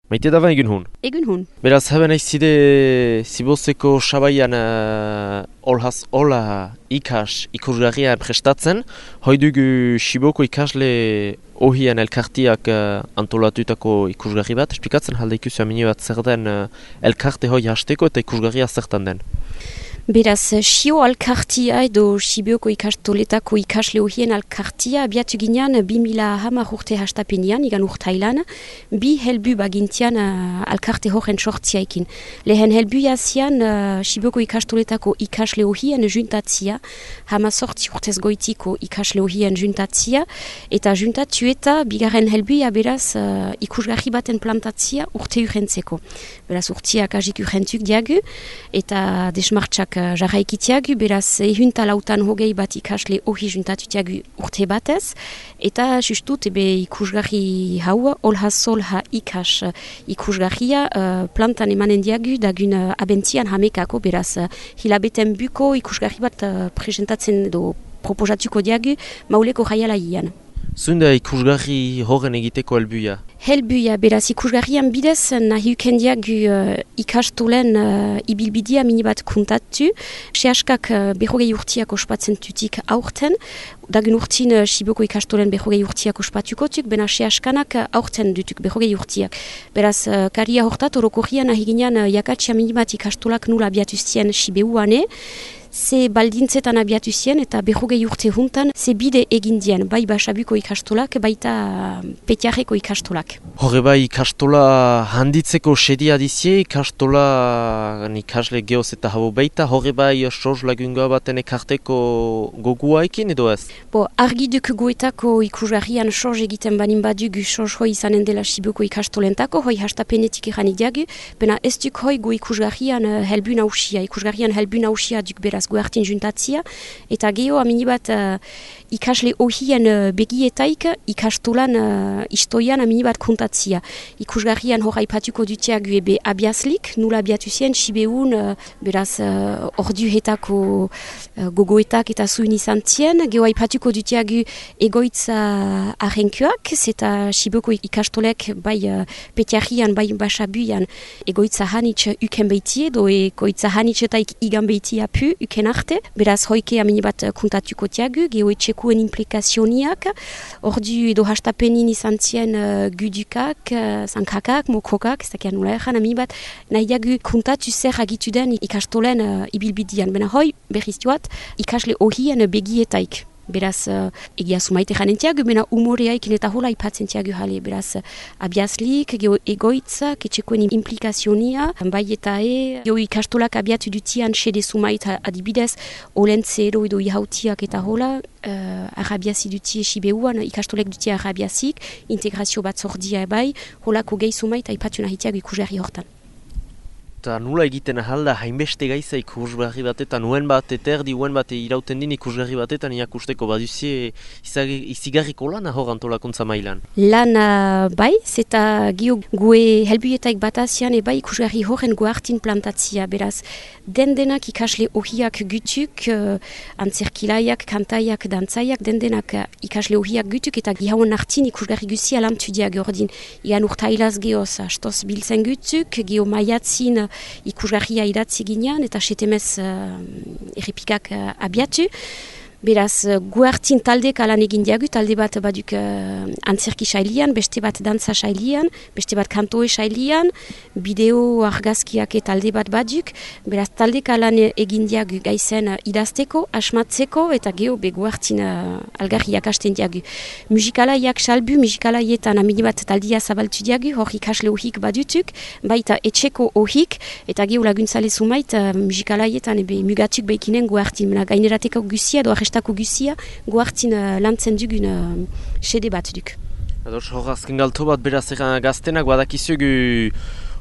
Maite daba egun hun. Egun hun. Beraz, haben aizide zibozeko sabaian olhaz ola ikusgarrian prestatzen. Hoidugu Siboko ikasle ohian elkartiak antolatutako ikusgarri bat. Esplikatzen halde ikusi amini bat zer den elkarte hoi hasteko eta ikusgarria zertan den. Beraz, Sio alkartia edo Sibioko ikastoletako ikasle horien alkartia abiatu ginean 2010 urte hastapenean, igan urtailan, bi helbu bagintian alkarte horren sortziaikin. Lehen helbu jazian Sibioko ikastoletako ikasle horien juntatzia, 18 urtez goitiko ikasle horien juntatzia, eta juntatu eta bigarren helbuia beraz ikusgarri baten plantatzia urte urrentzeko. Beraz, urtiak agik urrentuk diagu, eta desmartxak jarraikitiagu, beraz ehunta lautan hogei bat ikasle hori juntatutiagu urte batez, eta justut ikusgarri hau, olha ikusgarria plantan emanen diagu dagun abentzian hamekako, beraz hilabeten buko ikusgarri bat presentatzen edo proposatuko diagu mauleko jaialaian. Zunda ikusgarri horren egiteko helbuia? Helbuia, beraz ikusgarrian bidez nahi ukendiagu ikastolen ibilbidia minibat kuntatu. Sehaskak berrogei urtiak ospatzen tutik aurten. Dagun urtin Siboko ikastolen berrogei urtiak ospatukotuk, bena sehaskanak aurten dutuk berrogei urtiak. Beraz, karia hortat orokorrian nahi ginean jakatsia minibat ikastolak nula abiatuzien Sibeuane. Ze baldintzetan abiatu zien eta berrogei urte juntan ze bide egin dien, bai Basabuko ikastolak, baita Petiarreko ikastolak. Horre bai ikastola handitzeko sedia dizie, ikastola ikasle geoz eta habo baita, horre bai soz lagungoa baten ekarteko goguaikin edo ez? Argi duk goetako ikusgarrian soz egiten banin badugu soz hoi izanen dela Siboko ikastolentako, hoi hastapenetik eranik diagu, bena ez duk hoi go ikusgarrian helbu nausia, ikusgarrian helbu nausia duk beraz goartin juntatzia, eta geho aminibat ikasle ohien begietaik ikastolan istoian aminibat kontatzia. Ikusgarrian hor aipatuko dutiagu ebe abiazlik, nula abiatu zien, Sibeun beraz orduhetako gogoetak eta zuin izan zien, geho aipatuko dutiagu egoitza arrenkuak, zeta Siboko ikastolek bai Petiarrian, bai Basabuian egoitza hanitz uken behitie, do egoitza hanitzetaik igan behitia pu uken arte, beraz hoike aminibat kontatuko tiagu, geho etxekuen implikazioniak, ordu edo hastapenin izan zien gudukak, zankakak, mokokak, ez dakian nula erran aminibat, nahi diagu kontatu zer agitu den ikastolen ibilbidian, bena hoi berriz joat ikasle horien begietaik. Beraz, egia sumaite janentiagu, bena umoreaikin eta hola ipatzen tiagu jale. Beraz, abiazlik, geho egoitza, ketxekoen implikazionia, bai eta geho ikastolak abiatu dutian sede sumaita adibidez, olentzero edo ihautiak eta hola, arabiazi dutie Sibeuan, ikastolek dutie arabiazik, integrazio bat zordia ebai, holako gehi sumaita ipatu nahi tiagu ikusgarri hortan. Eta nula egiten ahalda hainbeste gaiza ikusgarri batetan, nuen bat eterdi, nuen bat irauten din ikusgarri batetan iakusteko baduzie izigarriko lan hor antolakuntza mailan. Lan bai, zeta gio gue helbuietaik batazian bai ikusgarri horren goartin plantatzia, beraz dendenak ikasle ohiak gutuk, antzerkilaiak, kantaiak, dantzaiak, dendenak ikasle ohiak gutuk eta gihauen hartin ikusgarri guzia lantudiak ordin. Igan urtailaz geoz, astoz biltzen gutuk, gio maiatzin ikusgarria idatzi ginean eta setemez errepikak abiatu. Beraz, guartin taldek alan egin diagu, talde bat baduk antzerki sailian, beste bat dantza sailian, beste bat kantoe sailian, bideo argazkiak talde bat baduk, beraz taldek alan egin diagu gaizen idazteko, asmatzeko eta geho be guartin algarriak hasten diagu. Musikalaiak salbu, musikalaietan amini bat taldia zabaltu diagu, hor ikasle ohik badutuk, baita etxeko ohik, eta geho laguntzale sumait musikalaietan mugatuk behikinen guartin, gainerateko guzia edo arrestako guzia guartin lantzen dugun sede bat duk. Ados, hor azken galto bat beraz gaztenak badakizugu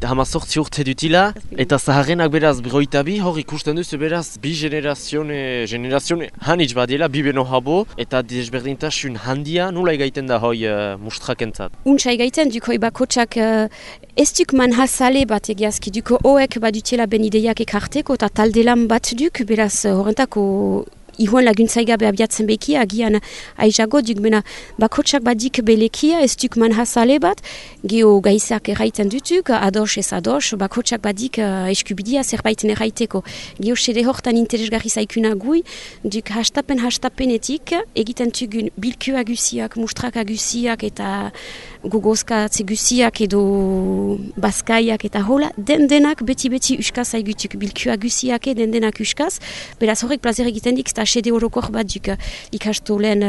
18 urte dutila, eta zaharrenak beraz berroita bi, hor ikusten duzu beraz bi generazione hanitz badela, bi beno habo, eta desberdintasun handia nula egaiten da hoi mustrakentzat. Untsa egaiten duk hoi bakotsak ez duk manhazale bat egiazki, duk hoek badutela ben ideiak ekarteko eta talde lan bat duk, beraz horrentako ihuen laguntzaigabe abiatzen bekia, agian aizago duk, bena bakotsak badik belekia, ez duk manhazale bat, geho gaizak erraiten dutuk, ados ez ados, bakotsak badik eskubidia zerbaiten erraiteko. Geho sede hortan interesgarri zaikuna gui, duk hastapenetik, egiten tugun bilkua guziak, mustraka guziak eta gogozkatze guziak edo bazkaiak eta hola, denak beti uskaz aigutuk bilkua guziak denak uskaz, beraz horrek plazer egiten dik, eta sede horokor bat duk ikastolen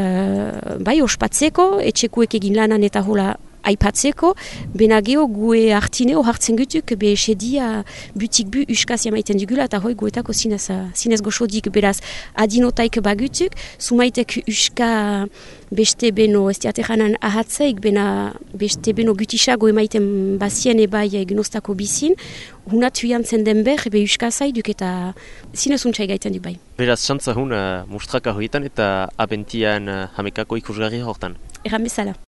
bai ospatzeko, etxekuek egin lanan eta hola aipatzeko, bena geho gue hartineo hartzen gutuk, be sedia butik bu uskaz jamaiten dugula, eta hoi guetako zinez goxodik, beraz adinotaik bagutuk, sumaitek uska beste beno, ez diateranan ahatzeik, bena beste beno gutisago emaiten bazien ebai gnostako bizin, hunatu jantzen den ber, be uskazai duk eta zinez untxai gaiten du bai. Beraz, xantza hun mustraka hoietan eta abentian hamekako ikusgarri hortan. Erran bezala.